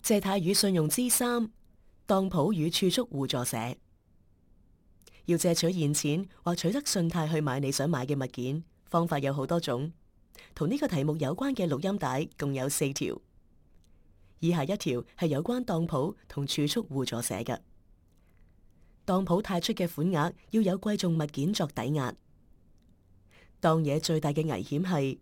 借貸與信用之三，當鋪與儲蓄互助社。要借取現錢或取得信貸去買你想買嘅物件，方法有好多種。同呢個題目有關嘅錄音帶共有4條。以下一條係有關當鋪同儲蓄互助社嘅。當鋪貸出嘅款額要有貴重物件作抵押。當嘢最大嘅危險係，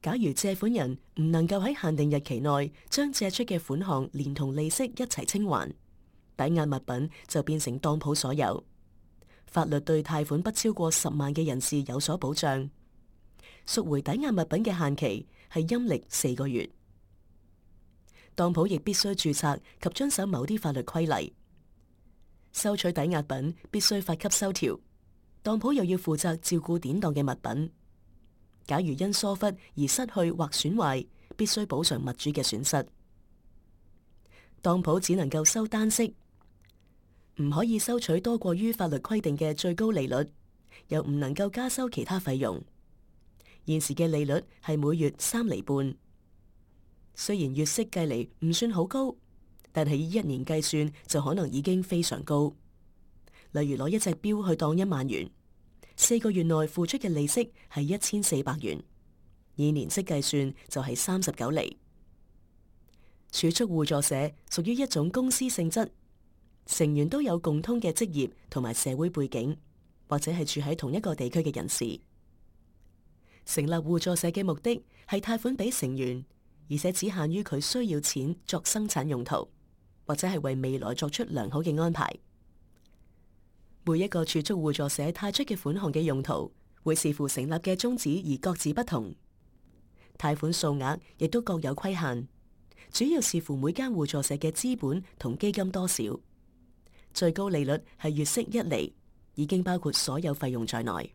假如借款人唔能夠喺限定日期內將借出嘅款項連同利息一齊清還，抵押物品就變成當鋪所有。法律對貸款不超過10萬嘅人士有所保障。贖回抵押物品嘅限期係陰曆4個月。當鋪亦必須註冊及遵守某啲法律規例。收取抵押品必須發給收條，當鋪又要負責照顧典當嘅物品。假如因疏忽而失去或損壞，必須補償物主嘅損失。當鋪只能夠收單息，唔可以收取多過於法律規定嘅最高利率，又唔能夠加收其他費用。現時嘅利率係每月3厘半，雖然月息計嚟唔算好高，但係以1年計算就可能已經非常高。例如攞一隻錶去當1萬元，4個月內付出嘅利息係1400元，以年息計算就係39厘。儲蓄互助社屬於一種公司性質，成員都有共通嘅職業同埋社會背景，或者係住喺同一個地區嘅人士。成立互助社嘅目的係貸款俾成員，而且只限於佢需要錢作生產用途，或者係為未來作出良好嘅安排。每一個儲蓄互助社貸出嘅款項嘅用途，會視乎成立嘅宗旨而各自不同。貸款數額亦都各有規限，主要視乎每間互助社嘅資本同基金多少。最高利率係月息1厘，已經包括所有費用在內。